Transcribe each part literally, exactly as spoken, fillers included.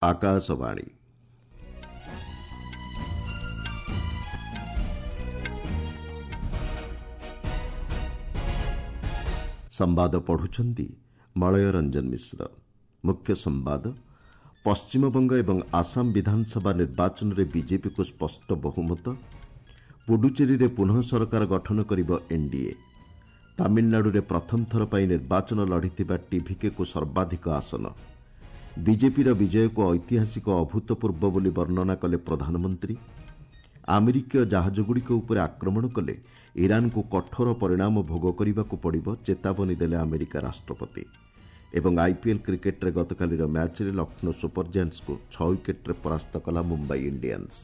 ଆକାଶବାଣୀ। ସମ୍ବାଦ ପଢୁଛନ୍ତି ମଳୟ ରଞ୍ଜନ ମିଶ୍ର। ମୁଖ୍ୟ ସମ୍ବାଦ। ପଶ୍ଚିମବଙ୍ଗ ଏବଂ ଆସାମ ବିଧାନସଭା ନିର୍ବାଚନରେ ବିଜେପିକୁ ସ୍ପଷ୍ଟ ବହୁମତ। ପୁଡୁଚେରୀରେ ପୁନଃ ସରକାର ଗଠନ କରିବ ଏନ୍ଡିଏ। ତାମିଲନାଡୁରେ ପ୍ରଥମ ଥର ପାଇଁ ନିର୍ବାଚନ ଲଢ଼ିଥିବା ଟିଭିକେକୁ ସର୍ବାଧିକ ଆସନ। ବିଜେପିର ବିଜୟକୁ ଐତିହାସିକ ଅଭୂତପୂର୍ବ ବୋଲି ବର୍ଣ୍ଣନା କଲେ ପ୍ରଧାନମନ୍ତ୍ରୀ। ଆମେରିକୀୟ ଜାହାଜଗୁଡ଼ିକ ଉପରେ ଆକ୍ରମଣ କଲେ ଇରାନକୁ କଠୋର ପରିଣାମ ଭୋଗ କରିବାକୁ ପଡ଼ିବ, ଚେତାବନୀ ଦେଲେ ଆମେରିକା ରାଷ୍ଟ୍ରପତି। ଏବଂ ଆଇପିଏଲ୍ କ୍ରିକେଟ୍ରେ ଗତକାଲିର ମ୍ୟାଚ୍ରେ ଲକ୍ଷ୍ନୌ ସୁପର ଜାଏଣ୍ଟସ୍କୁ ଛଅ ୱିକେଟ୍ରେ ପରାସ୍ତ କଲା ମୁମ୍ବାଇ ଇଣ୍ଡିଆନ୍ସ।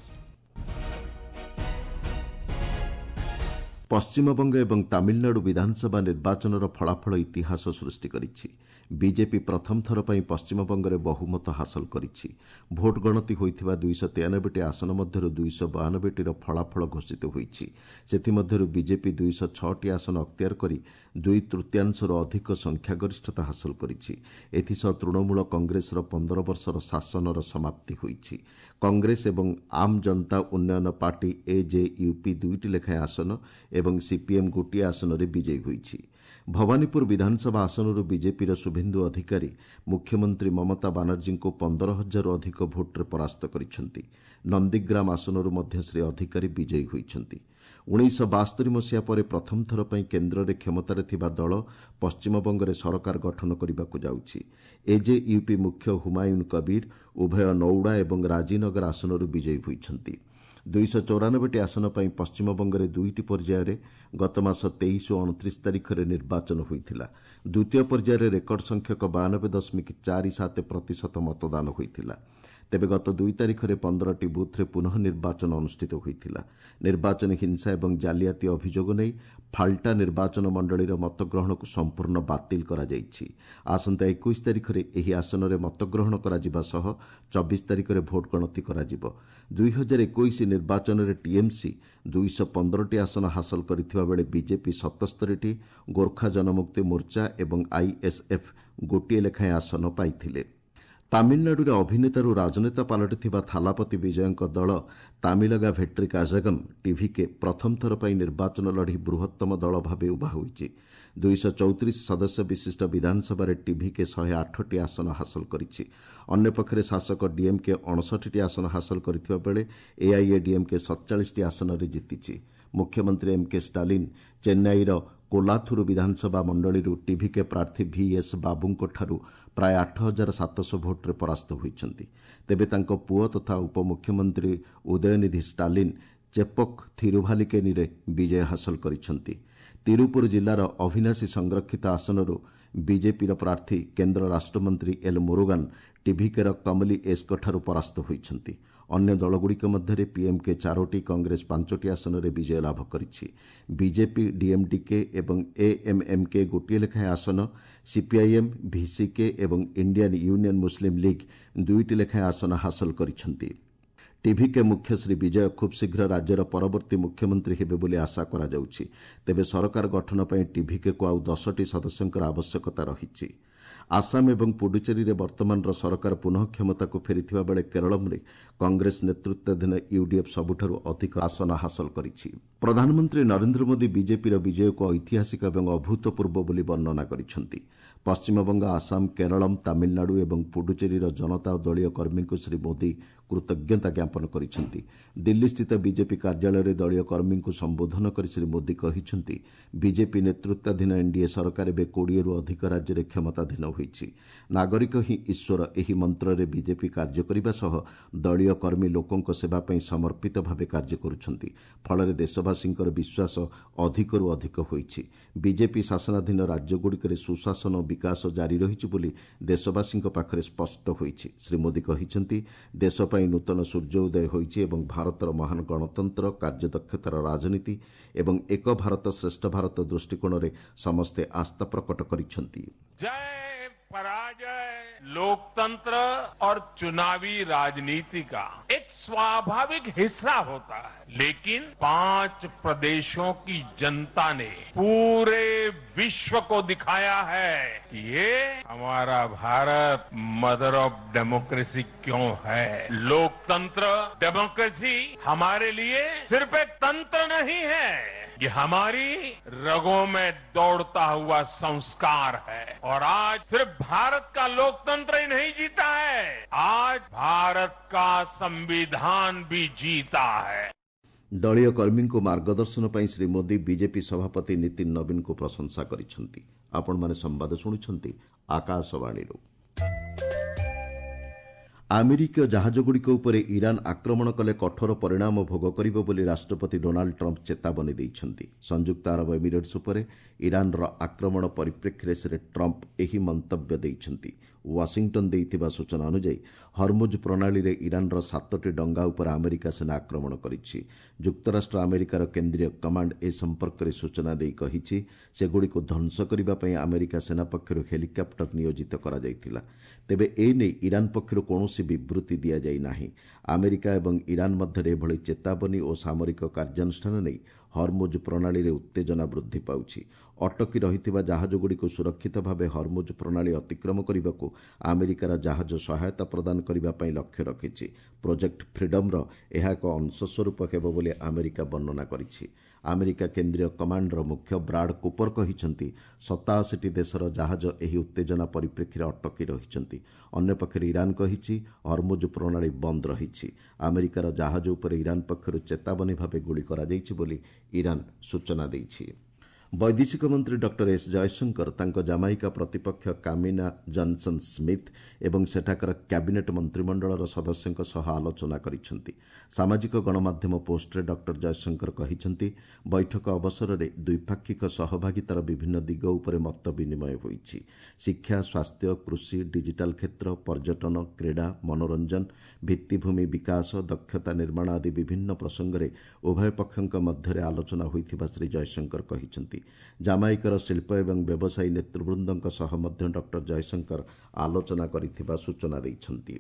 ପଶ୍ଚିମବଙ୍ଗ ଏବଂ ତାମିଲନାଡୁ ବିଧାନସଭା ନିର୍ବାଚନର ଫଳାଫଳ ଇତିହାସ ସୃଷ୍ଟି କରିଛି। ବିଜେପି ପ୍ରଥମ ଥର ପାଇଁ ପଶ୍ଚିମବଙ୍ଗରେ ବହୁମତ ହାସଲ କରିଛି। ଭୋଟ ଗଣତି ହୋଇଥିବା ଦୁଇଶହ ତେୟାନବେଟି ଆସନ ମଧ୍ୟରୁ ଦୁଇଶହ ବୟାନବେଟିର ଫଳାଫଳ ଘୋଷିତ ହୋଇଛି। ସେଥିମଧ୍ୟରୁ ବିଜେପି ଦୁଇଶହ ଛଅଟି ଆସନ ଅକ୍ତିଆର କରି ଦୁଇ ତୃତୀୟାଂଶରୁ ଅଧିକ ସଂଖ୍ୟାଗରିଷ୍ଠତା ହାସଲ କରିଛି। ଏଥିସହ ତୃଣମୂଳ କଂଗ୍ରେସର ପନ୍ଦର ବର୍ଷର ଶାସନର ସମାପ୍ତି ହୋଇଛି। କଂଗ୍ରେସ ଏବଂ ଆମ୍ ଜନତା ଉନ୍ନୟନ ପାର୍ଟି ଏଜେୟୁପି ଦୁଇଟି ଲେଖାଏଁ ଆସନ ଏବଂ ସିପିଏମ୍ ଗୋଟିଏ ଆସନରେ ବିଜୟୀ ହୋଇଛି। ଭବାନୀପୁର ବିଧାନସଭା ଆସନରୁ ବିଜେପିର ଶୁଭେନ୍ଦୁ ଅଧିକାରୀ ମୁଖ୍ୟମନ୍ତ୍ରୀ ମମତା ବାନାର୍ଜୀଙ୍କୁ ପନ୍ଦର ହଜାରରୁ ଅଧିକ ଭୋଟ୍ରେ ପରାସ୍ତ କରିଛନ୍ତି। ନନ୍ଦୀଗ୍ରାମ ଆସନରୁ ମଧ୍ୟ ଶ୍ରୀ ଅଧିକାରୀ ବିଜୟୀ ହୋଇଛନ୍ତି। ଉଣେଇଶହ ବାସ୍ତରି ମସିହା ପରେ ପ୍ରଥମ ଥର ପାଇଁ କେନ୍ଦ୍ରରେ କ୍ଷମତାରେ ଥିବା ଦଳ ପଶ୍ଚିମବଙ୍ଗରେ ସରକାର ଗଠନ କରିବାକୁ ଯାଉଛି। ଏଜେୟୁପି ମୁଖ୍ୟ ହୁମାୟୁନ୍ କବୀର ଉଭୟ ନୌଡ଼ା ଏବଂ ରାଜିନଗର ଆସନରୁ ବିଜୟୀ ହୋଇଛନ୍ତି। ଦୁଇଶହ ଚଉରାନବେଟି ଆସନ ପାଇଁ ପଶ୍ଚିମବଙ୍ଗରେ ଦୁଇଟି ପର୍ଯ୍ୟାୟରେ ଗତମାସ ତେଇଶ ଓ ଅଣତିରିଶ ତାରିଖରେ ନିର୍ବାଚନ ହୋଇଥିଲା। ଦ୍ୱିତୀୟ ପର୍ଯ୍ୟାୟରେ ରେକର୍ଡ ସଂଖ୍ୟକ ବୟାନବେ ଦଶମିକ ଚାରି ସାତ ପ୍ରତିଶତ ମତଦାନ ହୋଇଥିଲା। ତେବେ ଗତ ଦୁଇ ତାରିଖରେ ପନ୍ଦରଟି ବୁଥ୍ରେ ପୁନଃ ନିର୍ବାଚନ ଅନୁଷ୍ଠିତ ହୋଇଥିଲା। ନିର୍ବାଚନୀ ହିଂସା ଏବଂ ଜାଲିଆତି ଅଭିଯୋଗ ନେଇ ଫାଲ୍ଟା ନିର୍ବାଚନ ମଣ୍ଡଳୀର ମତଗ୍ରହଣକୁ ସମ୍ପୂର୍ଣ୍ଣ ବାତିଲ କରାଯାଇଛି। ଆସନ୍ତା ଏକୋଇଶ ତାରିଖରେ ଏହି ଆସନରେ ମତଗ୍ରହଣ କରାଯିବା ସହ ଚବିଶ ତାରିଖରେ ଭୋଟ ଗଣତି କରାଯିବ। ଦୁଇ ହଜାର ଏକୋଇଶ ନିର୍ବାଚନରେ ଟିଏମ୍ସି ଦୁଇଶହ ପନ୍ଦରଟି ଆସନ ହାସଲ କରିଥିବା ବେଳେ ବିଜେପି ସତସ୍ତରୀଟି, ଗୋର୍ଖା ଜନମୁକ୍ତି ମୋର୍ଚ୍ଚା ଏବଂ ଆଇଏସ୍ଏଫ୍ ଗୋଟିଏ ଲେଖାଏଁ ଆସନ ପାଇଥିଲେ। ତାମିଲନାଡୁରେ ଅଭିନେତାରୁ ରାଜନେତା ପାଲଟିଥିବା ଥାଲାପତି ବିଜୟଙ୍କ ଦଳ ତାମିଲଗା ଭେଟ୍ରି କାଜାଗମ୍ ଟିଭିକେ ପ୍ରଥମ ଥର ପାଇଁ ନିର୍ବାଚନ ଲଢ଼ି ବୃହତ୍ତମ ଦଳ ଭାବେ ଉଭା ହୋଇଛି। ଦୁଇଶହ ଚଉତିରିଶ ସଦସ୍ୟ ବିଶିଷ୍ଟ ବିଧାନସଭାରେ ଟିଭିକେ ଶହେ ଆଠଟି ଆସନ ହାସଲ କରିଛି। ଅନ୍ୟପକ୍ଷରେ ଶାସକ ଡିଏମ୍କେ ଅଣଷଠିଟି ଆସନ ହାସଲ କରିଥିବା ବେଳେ ଏଆଇଏଡିଏମ୍କେ ସତଚାଳିଶଟି ଆସନରେ ଜିତିଛି। ମୁଖ୍ୟମନ୍ତ୍ରୀ ଏମ୍କେ ଷ୍ଟାଲିନ୍ ଚେନ୍ନାଇର କୋଲାଥୁରୁ ବିଧାନସଭା ମଣ୍ଡଳୀରୁ ଟିଭିକେ ପ୍ରାର୍ଥୀ ଭିଏସ୍ ବାବୁଙ୍କଠାରୁ ପ୍ରାୟ ଆଠ ହଜାର ସାତଶହ ଭୋଟ୍ରେ ପରାସ୍ତ ହୋଇଛନ୍ତି। ତେବେ ତାଙ୍କ ପୁଅ ତଥା ଉପମୁଖ୍ୟମନ୍ତ୍ରୀ ଉଦୟନିଧି ଷ୍ଟାଲିନ୍ ଚେପକ୍ ଥିରୁଭାଲିକେନିରେ ବିଜୟ ହାସଲ କରିଛନ୍ତି। ତିରୁପୁର ଜିଲ୍ଲାର ଅଭିନାଶୀ ସଂରକ୍ଷିତ ଆସନରୁ ବିଜେପିର ପ୍ରାର୍ଥୀ କେନ୍ଦ୍ର ରାଷ୍ଟ୍ରମନ୍ତ୍ରୀ ଏଲ୍ ମୁରୁଗାନ୍ ଟିଭିକେର କମଲି ଏସ୍ଙ୍କଠାରୁ ପରାସ୍ତ ହୋଇଛନ୍ତି। ଅନ୍ୟ ଦଳଗୁଡ଼ିକ ମଧ୍ୟରେ ପିଏମ୍କେ ଚାରୋଟି, କଂଗ୍ରେସ ପାଞ୍ଚଟି ଆସନରେ ବିଜୟ ଲାଭ କରିଛି। ବିଜେପି, ଡିଏମ୍ଡିକେ ଏବଂ ଏଏମ୍ଏମ୍କେ ଗୋଟିଏ ଲେଖାଏଁ ଆସନ, ସିପିଆଇଏମ୍, ଭିସିକେ ଏବଂ ଇଣ୍ଡିଆନ୍ ୟୁନିୟନ୍ ମୁସ୍ଲିମ୍ ଲିଗ୍ ଦୁଇଟି ଲେଖାଏଁ ଆସନ ହାସଲ କରିଛନ୍ତି। ଟିଭିକେ ମୁଖ୍ୟ ଶ୍ରୀ ବିଜୟ ଖୁବ୍ ଶୀଘ୍ର ରାଜ୍ୟର ପରବର୍ତ୍ତୀ ମୁଖ୍ୟମନ୍ତ୍ରୀ ହେବେ ବୋଲି ଆଶା କରାଯାଉଛି। ତେବେ ସରକାର ଗଠନ ପାଇଁ ଟିଭିକେକୁ ଆଉ ଦଶଟି ସଦସ୍ୟଙ୍କର ଆବଶ୍ୟକତା ରହିଛି। ଆସାମ ଏବଂ ପୁଡୁଚେରୀରେ ବର୍ତ୍ତମାନର ସରକାର ପୁନଃ କ୍ଷମତାକୁ ଫେରିଥିବା ବେଳେ କେରଳମରେ କଂଗ୍ରେସ ନେତୃତ୍ୱାଧୀନ ୟୁଡିଏଫ୍ ସବୁଠାରୁ ଅଧିକ ଆସନ ହାସଲ କରିଛି। ପ୍ରଧାନମନ୍ତ୍ରୀ ନରେନ୍ଦ୍ର ମୋଦି ବିଜେପିର ବିଜୟକୁ ଐତିହାସିକ ଏବଂ ଅଭୂତପୂର୍ବ ବୋଲି ବର୍ଣ୍ଣନା କରିଛନ୍ତି। ପଶ୍ଚିମବଙ୍ଗ, ଆସାମ, କେରଳମ୍, ତାମିଲନାଡୁ ଏବଂ ପୁଡୁଚେରୀର ଜନତା ଓ ଦଳୀୟ କର୍ମୀଙ୍କୁ ଶ୍ରୀ ମୋଦି କୃତଜ୍ଞତା ଜ୍ଞାପନ କରିଛନ୍ତି। ଦିଲ୍ଲୀସ୍ଥିତ ବିଜେପି କାର୍ଯ୍ୟାଳୟରେ ଦଳୀୟ କର୍ମୀଙ୍କୁ ସମ୍ବୋଧନ କରି ଶ୍ରୀ ମୋଦି କହିଛନ୍ତି, ବିଜେପି ନେତୃତ୍ୱାଧୀନ ଏନ୍ଡିଏ ସରକାର ଏବେ କୋଡ଼ିଏରୁ ଅଧିକ ରାଜ୍ୟରେ କ୍ଷମତାଧୀନ ହୋଇଛି। ନାଗରିକ ହିଁ ଈଶ୍ୱର, ଏହି ମନ୍ତ୍ରରେ ବିଜେପି କାର୍ଯ୍ୟ କରିବା ସହ ଦଳୀୟ କର୍ମୀ ଲୋକଙ୍କ ସେବା ପାଇଁ ସମର୍ପିତ ଭାବେ କାର୍ଯ୍ୟ କରୁଛନ୍ତି। ଫଳରେ ଦେଶବାସୀଙ୍କର ବିଶ୍ୱାସ ଅଧିକରୁ ଅଧିକ ହୋଇଛି। ବିଜେପି ଶାସନାଧୀନ ରାଜ୍ୟଗୁଡ଼ିକରେ ସୁଶାସନ ଓ ବିକାଶ ଜାରି ରହିଛି ବୋଲି ଦେଶବାସୀଙ୍କ ପାଖରେ ସ୍ପଷ୍ଟ ହୋଇଛି। ଶ୍ରୀ ମୋଦି କହିଛନ୍ତି, ଦେଶ ପାଇଁ ନୂତନ ସୂର୍ଯ୍ୟ ଉଦୟ ହୋଇଛି ଏବଂ ଭାରତର ମହାନ ଗଣତନ୍ତ୍ର, କାର୍ଯ୍ୟଦକ୍ଷତାର ରାଜନୀତି ଏବଂ ଏକ ଭାରତ ଶ୍ରେଷ୍ଠ ଭାରତ ଦୃଷ୍ଟିକୋଣରେ ସମସ୍ତେ ଆସ୍ଥା ପ୍ରକଟ କରିଛନ୍ତି। जय पराजय लोकतंत्र और चुनावी राजनीति का एक स्वाभाविक हिस्सा होता है, लेकिन पांच प्रदेशों की जनता ने पूरे विश्व को दिखाया है कि ये हमारा भारत मदर ऑफ डेमोक्रेसी क्यों है। लोकतंत्र, डेमोक्रेसी हमारे लिए सिर्फ एक तंत्र नहीं है, ये हमारी रगों में दौड़ता हुआ संस्कार है। और आज सिर्फ भारत का लोकतंत्र ही नहीं जीता है, आज भारत का संविधान भी जीता है। ଦଳୀୟ କର୍ମୀଙ୍କୁ ମାର୍ଗଦର୍ଶନ ପାଇଁ ଶ୍ରୀ ମୋଦି ବିଜେପି ସଭାପତି ନୀତିନ ନବୀନଙ୍କୁ ପ୍ରଶଂସା କରିଛନ୍ତି। ଆପଣମାନେ ସମ୍ବାଦ ଶୁଣୁଛନ୍ତି ଆକାଶବାଣୀରୁ। ଆମେରିକୀୟ ଜାହାଜଗୁଡ଼ିକ ଉପରେ ଇରାନ୍ ଆକ୍ରମଣ କଲେ କଠୋର ପରିଣାମ ଭୋଗ କରିବ ବୋଲି ରାଷ୍ଟ୍ରପତି ଡୋନାଲ୍ଡ ଟ୍ରମ୍ପ ଚେତାବନୀ ଦେଇଛନ୍ତି। ସଂଯୁକ୍ତ ଆରବ ଏମିରେଟ୍ସ ଉପରେ ଇରାନ୍ର ଆକ୍ରମଣ ପରିପ୍ରେକ୍ଷୀରେ ଶ୍ରୀ ଟ୍ରମ୍ପ ଏହି ମନ୍ତବ୍ୟ ଦେଇଛନ୍ତି। ୱାଶିଂଟନ୍ ଦେଇଥିବା ସୂଚନା ଅନୁଯାୟୀ ହରମୁଜ୍ ପ୍ରଣାଳୀରେ ଇରାନ୍ର ସାତଟି ଡଙ୍ଗା ଉପରେ ଆମେରିକା ସେନା ଆକ୍ରମଣ କରିଛି। ଯୁକ୍ତରାଷ୍ଟ୍ର ଆମେରିକାର କେନ୍ଦ୍ରୀୟ କମାଣ୍ଡ ଏ ସମ୍ପର୍କରେ ସୂଚନା ଦେଇ କହିଛି, ସେଗୁଡ଼ିକୁ ଧ୍ୱଂସ କରିବା ପାଇଁ ଆମେରିକା ସେନା ପକ୍ଷରୁ ହେଲିକପ୍ଟର ନିୟୋଜିତ କରାଯାଇଥିଲା। ତେବେ ଏ ନେଇ ଇରାନ୍ ପକ୍ଷରୁ କୌଣସି ବିବୃତି ଦିଆଯାଇ ନାହିଁ। ଆମେରିକା ଏବଂ ଇରାନ୍ ମଧ୍ୟରେ ଏଭଳି ଚେତାବନୀ ଓ ସାମରିକ କାର୍ଯ୍ୟାନୁଷ୍ଠାନ ନେଇ ହରମୁଜ୍ ପ୍ରଣାଳୀରେ ଉତ୍ତେଜନା ବୃଦ୍ଧି ପାଉଛି। ଅଟକି ରହିଥିବା ଜାହାଜଗୁଡ଼ିକୁ ସୁରକ୍ଷିତ ଭାବେ ହରମୁଜ୍ ପ୍ରଣାଳୀ ଅତିକ୍ରମ କରିବାକୁ ଆମେରିକାର ଜାହାଜ ସହାୟତା ପ୍ରଦାନ କରିବା ପାଇଁ ଲକ୍ଷ୍ୟ ରଖିଛି। ପ୍ରୋଜେକ୍ଟ ଫ୍ରିଡମ୍ର ଏହା ଏକ ଅଂଶସ୍ୱରୂପ ହେବ ବୋଲି ଆମେରିକା ବର୍ଣ୍ଣନା କରିଛି। ଆମେରିକା କେନ୍ଦ୍ରୀୟ କମାଣ୍ଡର ମୁଖ୍ୟ ବ୍ରାଡ୍ କୁପର କହିଛନ୍ତି, ସତାଅଶୀଟି ଦେଶର ଜାହାଜ ଏହି ଉତ୍ତେଜନା ପରିପ୍ରେକ୍ଷୀରେ ଅଟକି ରହିଛନ୍ତି। ଅନ୍ୟପକ୍ଷରେ ଇରାନ୍ କହିଛି, ହରମୁଜ୍ ପ୍ରଣାଳୀ ବନ୍ଦ ରହିଛି। ଆମେରିକାର ଜାହାଜ ଉପରେ ଇରାନ୍ ପକ୍ଷରୁ ଚେତାବନୀ ଭାବେ ଗୁଳି କରାଯାଇଛି ବୋଲି ଇରାନ୍ ସୂଚନା ଦେଇଛି। ବୈଦେଶିକ ମନ୍ତ୍ରୀ ଡକ୍ଟର ଏସ୍ ଜୟଶଙ୍କର ତାଙ୍କ ଜାମାଇକା ପ୍ରତିପକ୍ଷ କାମିନା ଜନସନ୍ ସ୍ମିଥ୍ ଏବଂ ସେଠାକାର କ୍ୟାବିନେଟ୍ ମନ୍ତ୍ରିମଣ୍ଡଳର ସଦସ୍ୟଙ୍କ ସହ ଆଲୋଚନା କରିଛନ୍ତି। ସାମାଜିକ ଗଣମାଧ୍ୟମ ପୋଷ୍ଟରେ ଡକ୍ଟର ଜୟଶଙ୍କର କହିଛନ୍ତି, ବୈଠକ ଅବସରରେ ଦ୍ୱିପାକ୍ଷିକ ସହଭାଗିତାର ବିଭିନ୍ନ ଦିଗ ଉପରେ ମତ ବିନିମୟ ହୋଇଛି। ଶିକ୍ଷା, ସ୍ୱାସ୍ଥ୍ୟ, କୃଷି, ଡିଜିଟାଲ କ୍ଷେତ୍ର, ପର୍ଯ୍ୟଟନ, କ୍ରୀଡ଼ା, ମନୋରଞ୍ଜନ, ଭିତ୍ତିଭୂମି ବିକାଶ, ଦକ୍ଷତା ନିର୍ମାଣ ଆଦି ବିଭିନ୍ନ ପ୍ରସଙ୍ଗରେ ଉଭୟ ପକ୍ଷଙ୍କ ମଧ୍ୟରେ ଆଲୋଚନା ହୋଇଥିବା ଶ୍ରୀ ଜୟଶଙ୍କର କହିଛନ୍ତି। ଜାମାଇକାର ଶିଳ୍ପ ଏବଂ ବ୍ୟବସାୟୀ ନେତୃବୃନ୍ଦଙ୍କ ସହ ମଧ୍ୟ ଡକ୍ଟର ଜୟଶଙ୍କର ଆଲୋଚନା କରିଥିବା ସୂଚନା ଦେଇଛନ୍ତି।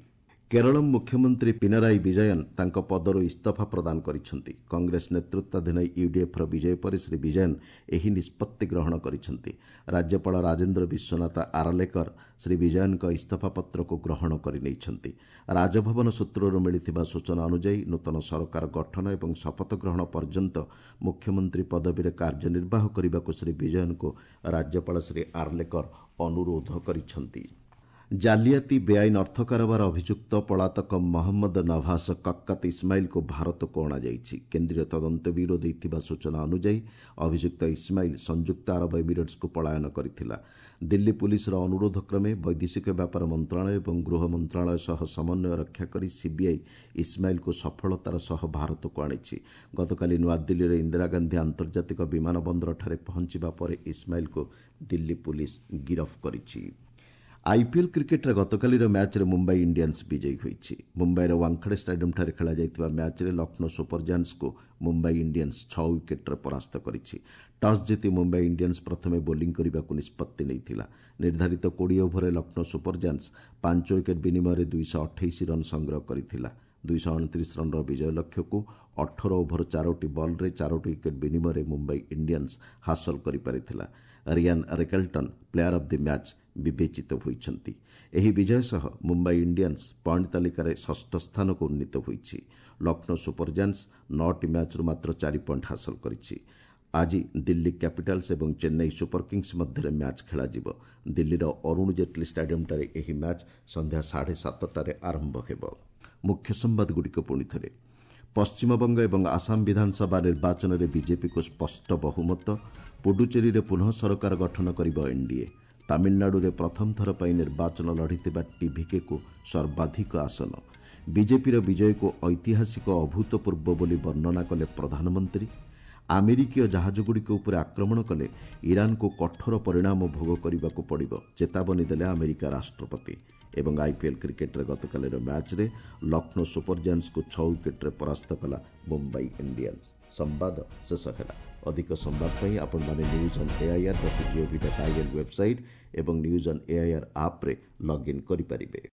କେରଳ ମୁଖ୍ୟମନ୍ତ୍ରୀ ପିନରାଇ ବିଜୟନ୍ ତାଙ୍କ ପଦରୁ ଇସ୍ତଫା ପ୍ରଦାନ କରିଛନ୍ତି। କଂଗ୍ରେସ ନେତୃତ୍ୱାଧୀନ ୟୁଡିଏଫ୍ର ବିଜୟ ପରେ ଶ୍ରୀ ବିଜୟନ୍ ଏହି ନିଷ୍ପତ୍ତି ଗ୍ରହଣ କରିଛନ୍ତି। ରାଜ୍ୟପାଳ ରାଜେନ୍ଦ୍ର ବିଶ୍ୱନାଥ ଆରଲେକର ଶ୍ରୀ ବିଜୟନ୍ଙ୍କ ଇସ୍ତଫାପତ୍ରକୁ ଗ୍ରହଣ କରିନେଇଛନ୍ତି। ରାଜଭବନ ସୂତ୍ରରୁ ମିଳିଥିବା ସୂଚନା ଅନୁଯାୟୀ ନୂତନ ସରକାର ଗଠନ ଏବଂ ଶପଥ ଗ୍ରହଣ ପର୍ଯ୍ୟନ୍ତ ମୁଖ୍ୟମନ୍ତ୍ରୀ ପଦବୀରେ କାର୍ଯ୍ୟନିର୍ବାହ କରିବାକୁ ଶ୍ରୀ ବିଜୟନ୍ଙ୍କୁ ରାଜ୍ୟପାଳ ଶ୍ରୀ ଆର୍ଲେକର ଅନୁରୋଧ କରିଛନ୍ତି। ଜାଲିଆତି, ବେଆଇନ ଅର୍ଥ କାରବାର ଅଭିଯୁକ୍ତ ପଳାତକ ମହମ୍ମଦ ନଭାସ କକ୍କତ ଇସ୍ମାଇଲକୁ ଭାରତକୁ ଅଣାଯାଇଛି। କେନ୍ଦ୍ରୀୟ ତଦନ୍ତ ବ୍ୟୁରୋ ଦେଇଥିବା ସୂଚନା ଅନୁଯାୟୀ ଅଭିଯୁକ୍ତ ଇସ୍ମାଇଲ ସଂଯୁକ୍ତ ଆରବ ଏମିରେଟ୍ସକୁ ପଳାୟନ କରିଥିଲା। ଦିଲ୍ଲୀ ପୁଲିସର ଅନୁରୋଧ କ୍ରମେ ବୈଦେଶିକ ବ୍ୟାପାର ମନ୍ତ୍ରଣାଳୟ ଏବଂ ଗୃହ ମନ୍ତ୍ରଣାଳୟ ସହ ସମନ୍ୱୟ ରକ୍ଷା କରି ସିବିଆଇ ଇସ୍ମାଇଲକୁ ସଫଳତାର ସହ ଭାରତକୁ ଆଣିଛି। ଗତକାଲି ନୂଆଦିଲ୍ଲୀର ଇନ୍ଦିରା ଗାନ୍ଧୀ ଆନ୍ତର୍ଜାତିକ ବିମାନ ବନ୍ଦରଠାରେ ପହଞ୍ଚିବା ପରେ ଇସ୍ମାଇଲକୁ ଦିଲ୍ଲୀ ପୁଲିସ ଗିରଫ କରିଛି। ଆଇପିଏଲ୍ କ୍ରିକେଟ୍ରେ ଗତକାଲିର ମ୍ୟାଚ୍ରେ ମୁମ୍ବାଇ ଇଣ୍ଡିଆନ୍ସ ବିଜୟୀ ହୋଇଛି। ମୁମ୍ବାଇର ୱାଙ୍ଗଖଡ଼େ ଷ୍ଟାଡିୟମ୍ଠାରେ ଖେଳାଯାଇଥିବା ମ୍ୟାଚ୍ରେ ଲକ୍ଷ୍ନୌ ସୁପର ଜାୟାଣ୍ଟସ୍କୁ ମୁମ୍ବାଇ ଇଣ୍ଡିଆନ୍ସ ଛଅ ୱିକେଟ୍ରେ ପରାସ୍ତ କରିଛି। ଟସ୍ ଜିତି ମୁମ୍ବାଇ ଇଣ୍ଡିଆନ୍ସ ପ୍ରଥମେ ବୋଲିଂ କରିବାକୁ ନିଷ୍ପତ୍ତି ନେଇଥିଲା। ନିର୍ଦ୍ଧାରିତ କୋଡ଼ିଏ ଓଭରରେ ଲକ୍ଷ୍ନୌ ସୁପର ଜାୟାଣ୍ଟସ୍ ପାଞ୍ଚ ୱିକେଟ୍ ବିନିମୟରେ ଦୁଇଶହ ଅଠେଇଶ ରନ୍ ସଂଗ୍ରହ କରିଥିଲା। ଦୁଇଶହ ଅଣତିରିଶ ରନ୍ର ବିଜୟ ଲକ୍ଷ୍ୟକୁ ଅଠର ଓଭର ଚାରୋଟି ବଲ୍ରେ ଚାରୋଟି ୱିକେଟ୍ ବିନିମୟରେ ମୁମ୍ବାଇ ଇଣ୍ଡିଆନ୍ସ ହାସଲ କରିପାରିଥିଲା। Ryan Rickelton player of the match ବିବେଚିତ ହୋଇଛନ୍ତି। ଏହି ବିଜୟ ସହ ମୁମ୍ବାଇ ଇଣ୍ଡିଆନ୍ସ ପଏଣ୍ଟ ତାଲିକାରେ ଷଷ୍ଠ ସ୍ଥାନକୁ ଉନ୍ନୀତ ହୋଇଛି। ଲକ୍ଷ୍ନୌ ସୁପର ଜାୟାଣ୍ଟସ୍ ନଅଟି ମ୍ୟାଚ୍ରୁ ମାତ୍ର ଚାରି ପଏଣ୍ଟ ହାସଲ କରିଛି। ଆଜି ଦିଲ୍ଲୀ କ୍ୟାପିଟାଲ୍ସ ଏବଂ ଚେନ୍ନାଇ ସୁପର କିଙ୍ଗସ୍ ମଧ୍ୟରେ ମ୍ୟାଚ୍ ଖେଳାଯିବ। ଦିଲ୍ଲୀର ଅରୁଣ ଜେଟ୍ଲୀ ଷ୍ଟାଡିୟମ୍ଠାରେ ଏହି ମ୍ୟାଚ୍ ସନ୍ଧ୍ୟା ସାଢ଼େ ସାତଟାରେ ଆରମ୍ଭ ହେବ। ମୁଖ୍ୟ ସମ୍ବାଦଗୁଡ଼ିକ ପୁଣି ଥରେ। ପଶ୍ଚିମବଙ୍ଗ ଏବଂ ଆସାମ ବିଧାନସଭା ନିର୍ବାଚନରେ ବିଜେପିକୁ ସ୍ପଷ୍ଟ ବହୁମତ। ପୁଡୁଚେରୀରେ ପୁନଃ ସରକାର ଗଠନ କରିବ ଏନ୍ଡିଏ। ତାମିଲନାଡୁରେ ପ୍ରଥମ ଥର ପାଇଁ ନିର୍ବାଚନ ଲଢ଼ିଥିବା ଟିଭିକେକୁ ସର୍ବାଧିକ ଆସନ। ବିଜେପିର ବିଜୟକୁ ଐତିହାସିକ ଅଭୂତପୂର୍ବ ବୋଲି ବର୍ଣ୍ଣନା କଲେ ପ୍ରଧାନମନ୍ତ୍ରୀ। ଆମେରିକୀୟ ଜାହାଜଗୁଡ଼ିକ ଉପରେ ଆକ୍ରମଣ କଲେ ଇରାନକୁ କଠୋର ପରିଣାମ ଭୋଗ କରିବାକୁ ପଡ଼ିବ, ଚେତାବନୀ ଦେଲେ ଆମେରିକା ରାଷ୍ଟ୍ରପତି। ଏବଂ ଆଇପିଏଲ୍ କ୍ରିକେଟ୍ରେ ଗତକାଲିର ମ୍ୟାଚ୍ରେ ଲକ୍ଷ୍ନୌ ସୁପର ଜାଏଣ୍ଟସ୍କୁ ଛଅ ୱିକେଟ୍ରେ ପରାସ୍ତ କଲା ମୁମ୍ବାଇ ଇଣ୍ଡିଆନ୍ସ। ସମ୍ବାଦ ଶେଷ ହେଲା। ଅଧିକ ସମ୍ବାଦ ପାଇଁ ଆପଣମାନେ news on AIR dot GOV dot IN website ଏବଂ ନ୍ୟୁଜ୍ ଅନ୍ ଏଆଇଆର୍ ଆପ୍ରେ ଲଗ୍ଇନ୍ କରିପାରିବେ।